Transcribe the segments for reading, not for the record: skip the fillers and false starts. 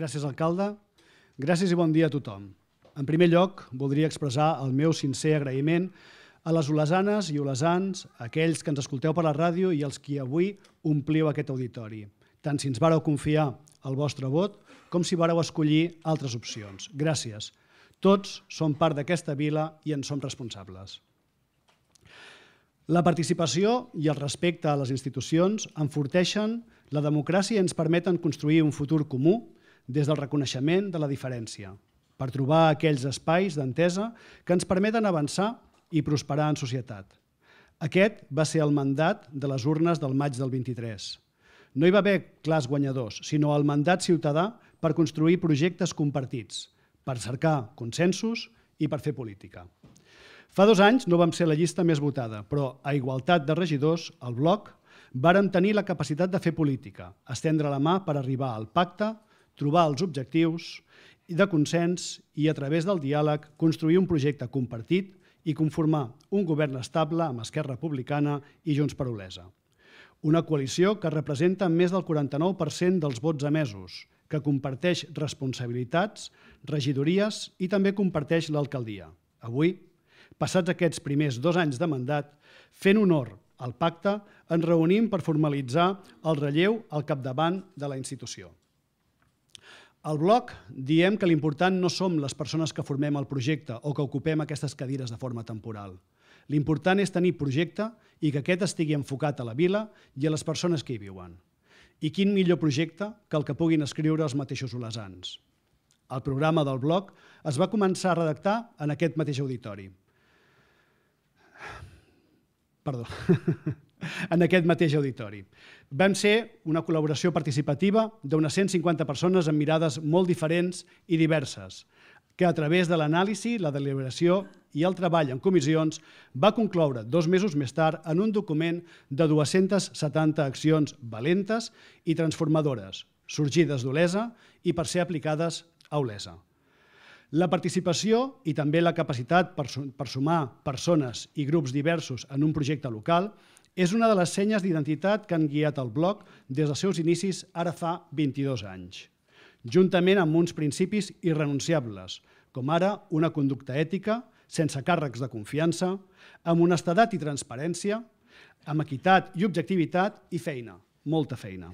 Gràcies, alcalde. Gràcies i bon dia a tothom. En primer lloc, voldria expressar el meu sincer agraïment a les olesanes i olesans, a aquells que ens escolteu per la ràdio i els qui avui ompliu aquest auditori, tant si ens vareu confiar el vostre vot com si vareu escollir altres opcions. Gràcies. Tots som part d'aquesta vila i en som responsables. La participació i el respecte a les institucions enforteixen la democràcia i ens permeten construir un futur comú des del reconeixement de la diferència, per trobar aquells espais d'entesa que ens permeten avançar i prosperar en societat. Aquest va ser el mandat de les urnes del maig del 23. No hi va haver clars guanyadors, sinó el mandat ciutadà per construir projectes compartits, per cercar consensos i per fer política. Fa 2 anys no vam ser la llista més votada, però a igualtat de regidors, al bloc, vàrem tenir la capacitat de fer política, estendre la mà per arribar al pacte, trobar els objectius de consens i, a través del diàleg, construir un projecte compartit i conformar un govern estable amb Esquerra Republicana i Junts per Olesa. Una coalició que representa més del 49% dels vots emesos, que comparteix responsabilitats, regidories i també comparteix l'alcaldia. Avui, passats aquests primers 2 anys de mandat, fent honor al pacte, ens reunim per formalitzar el relleu al capdavant de la institució. Al bloc diem que l'important no som les persones que formem el projecte o que ocupem aquestes cadires de forma temporal. L'important és tenir projecte i que aquest estigui enfocat a la vila i a les persones que hi viuen. I quin millor projecte que el que puguin escriure els mateixos olesans. El programa del bloc es va començar a redactar en aquest mateix auditori. En aquest mateix auditori. Vam ser una col·laboració participativa d'unes 150 persones amb mirades molt diferents i diverses, que a través de l'anàlisi, la deliberació i el treball en comissions va concloure 2 mesos més tard en un document de 270 accions valentes i transformadores, sorgides d'Olesa i per ser aplicades a Olesa. La participació i també la capacitat per sumar persones i grups diversos en un projecte local és una de les senyes d'identitat que han guiat el bloc des dels seus inicis ara fa 22 anys, juntament amb uns principis irrenunciables, com ara una conducta ètica, sense càrrecs de confiança, amb honestedat i transparència, amb equitat i objectivitat i feina, molta feina.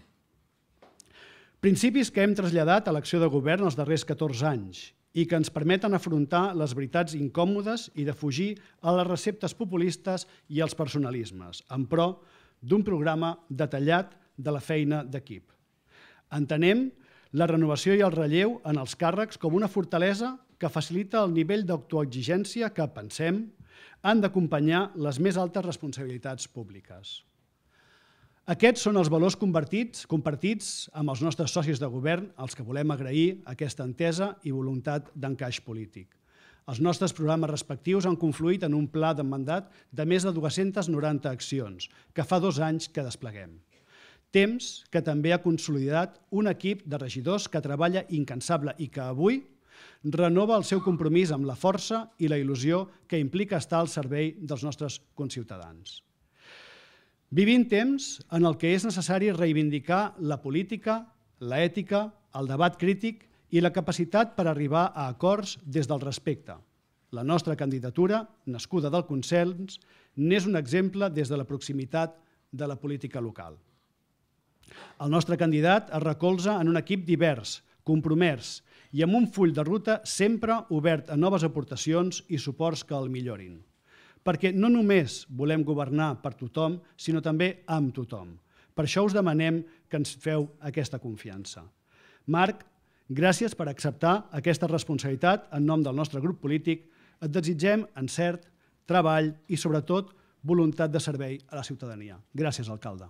Principis que hem traslladat a l'acció de govern els darrers 14 anys i que ens permeten afrontar les veritats incòmodes i defugir a les receptes populistes i els personalismes, en pro d'un programa detallat de la feina d'equip. Entenem la renovació i el relleu en els càrrecs com una fortalesa que facilita el nivell d'autoexigència que, pensem, han d'acompanyar les més altes responsabilitats públiques. Aquests són els valors compartits amb els nostres socis de govern, als que volem agrair aquesta entesa i voluntat d'encaix polític. Els nostres programes respectius han confluït en un pla de mandat de més de 290 accions, que fa 2 anys que despleguem. Temps que també ha consolidat un equip de regidors que treballa incansable i que avui renova el seu compromís amb la força i la il·lusió que implica estar al servei dels nostres conciutadans. Vivim temps en el que és necessari reivindicar la política, l'ètica, el debat crític i la capacitat per arribar a acords des del respecte. La nostra candidatura, nascuda del consens, n'és un exemple des de la proximitat de la política local. El nostre candidat es recolza en un equip divers, compromès i amb un full de ruta sempre obert a noves aportacions i suports que el millorin. Perquè no només volem governar per tothom, sinó també amb tothom. Per això us demanem que ens feu aquesta confiança. Marc, gràcies per acceptar aquesta responsabilitat en nom del nostre grup polític. Et desitgem encert, treball i, sobretot, voluntat de servei a la ciutadania. Gràcies, alcalde.